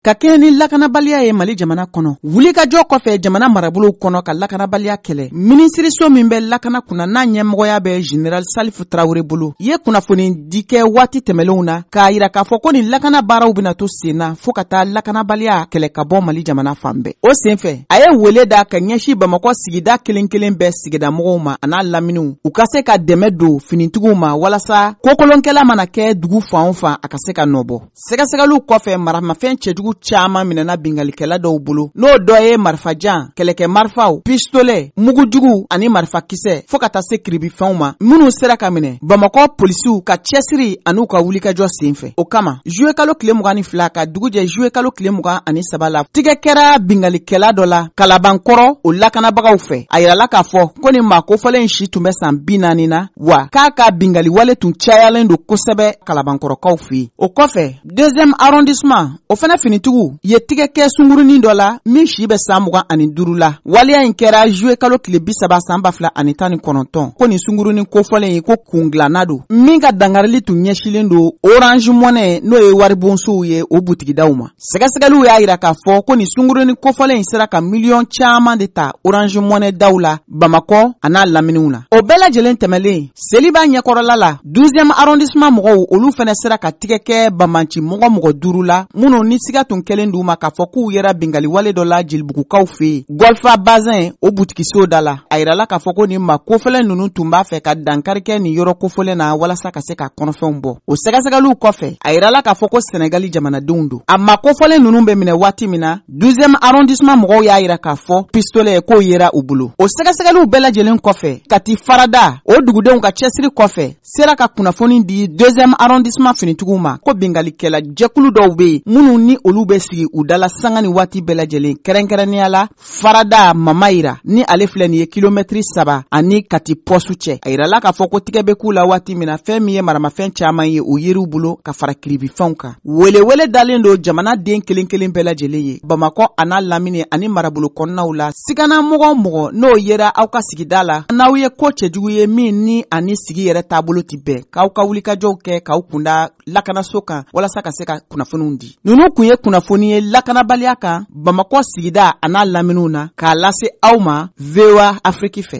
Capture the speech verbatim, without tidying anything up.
Ka kɛɲɛ ni lakanabaliya ye Mali jamana kɔnɔ, wulikajɔ kɔfɛ jamana marabolow kɔnɔ ka lakanabaliya kɛlɛ, minisiriso min bɛ lakana kunna, n'a ɲɛmɔgɔya bɛ Général Salifu Tarawele bolo, ye kunnafoni di kɛ waati tɛmɛlenw na k'a yira k'a fɔ ko nin lakana baaraw bɛna to sen na fɔɔ ka taa lakanabaliya kɛlɛ ka bɔ Mali jamana fan bɛɛ. O senfɛ, a ye wele da ka ɲɛsin Bamakɔ sigida kelen kelen bɛɛ sigidamɔgɔw ma a n'a laminiw, u ka se ka dɛmɛ don finitigiw ma walasa kokolonkɛla mana kɛ dugu fan o fan, a ka se ka nɔbɔ. Sɛgɛsɛgɛliw kɔfɛ, maramafɛn cɛjugu caaman minɛna bingalikɛla dɔw bolo, n'o dɔ ye marifajan, kɛlɛkɛ marifaw, pistolet, mugujugu ani marifakisɛ, fɔɔ ka taa se kiribifɛnw ma, minnu sera ka minɛ Bamakɔ polisiw ka cɛsiri an'u ka wulikajɔ sen fɛ. O kama, zuwe kalo tile mugan ni fila ka dugu jɛ zuwe kalo tile mugan ani saba la, tigɛ kɛra bingalikɛla dɔ la Kalabankɔrɔ o lakanabagaw fɛ. A yirala k'a fɔ ko nin maa kofɔlen si tun bɛ san bi naani na, wa k'a ka bingaliwale tun cayalen don kosɛbɛ Kalabankɔrɔkaw fɛ yen. O kɔfɛ, deuxième arrondissement o fana finitigiw ye tigɛ kɛ sungurunin dɔ la min si bɛ san mugan ani duuru la. Waleya in kɛra zuwe kalo tile bi saba san ba fila ani tan ni kɔnɔntɔn. Ko nin sungurunin kofɔlen ye ko kungilanna don min ka dangarili tun ɲɛsilen don Orange Money, n'o ye waribonsow ye, o butigidaw ma. Sɛgɛsɛgɛliw y'a yira k'a fɔ ko nin sungurunin kofɔlen in sera ka miliyɔn caman de ta Orange Money daw la Bamakɔ a n'a laminiw na. O bɛɛ lajɛlen tɛmɛlen, Seliba ɲɛkɔrɔla la, douzième arrondissement mɔgɔw, olu fɛnɛ sera ka tigɛ kɛ banbanci mɔgɔ mɔgɔ duuru la minnu ni siga tun kɛlen d'u ma k'a fɔ k'u yɛrɛ bingaliwale dɔ la Jelibugukaw fɛ yen, Golfa Bazin o butikiso da la. A yirala k'a fɔ ko nin maa kofɔlɛ ninnu tun b'a fɛ ka dankari kɛ nin yɔrɔ kofɔlɛ na walasa ka se ka kɔnɔfɛnw bɔ. O sɛgɛsɛgɛliw kɔfɛ, a yirala k'a fɔ ko Sɛnɛgali jamanadenw don. A maa kofɔlɛ ninnu bɛ minɛ waati min na, douzième arrondissement mɔgɔw y'a yira k'a fɔ pistolet k'o yera u bolo. O sɛgɛsɛgɛliw bɛɛ lajɛlen kɔfɛ, Kati Farada o dugudenw ka cɛsiri kɔfɛ sera ka kunnafoni di deuxième arrondissement finitigiw ma ko bingalikɛla jɛkulu dɔw bɛ yen minnu ni olu bɛ sigi u dala sanga ni waati bɛɛ lajɛlen, kɛrɛnkɛrɛnnenya la Farada Mamayira, ni ale filɛ nin ye kilomɛtiri saba ani Kati pɔsu cɛ. A yirala k'a fɔ ko tigɛ bɛ k'u la waati min na, fɛn min ye maramafɛn caman ye o yeriw bolo ka fara kiribifɛnw kan. Welewele dalen don jamana den kelen kelen bɛɛ lajɛlen ye Bamakɔ a n'a lamini ani marabolo kɔnɔnaw la. Sigana mɔgɔ o mɔgɔ n'o yera aw ka sigida la, n'aw ye ko cɛjugu ye min ni ani sigi yɛrɛ taabolo ti bɛn, k'aw ka wulikajɔw kɛ k'aw kunda lakanaso kan walasa ka se ka kunnafoniw di. Ninnu kun ye kunnafoni ye lakanabaliya kan Bamakɔ sigida a n'a laminiw na, k'a lase aw ma V O A Afiriki fɛ.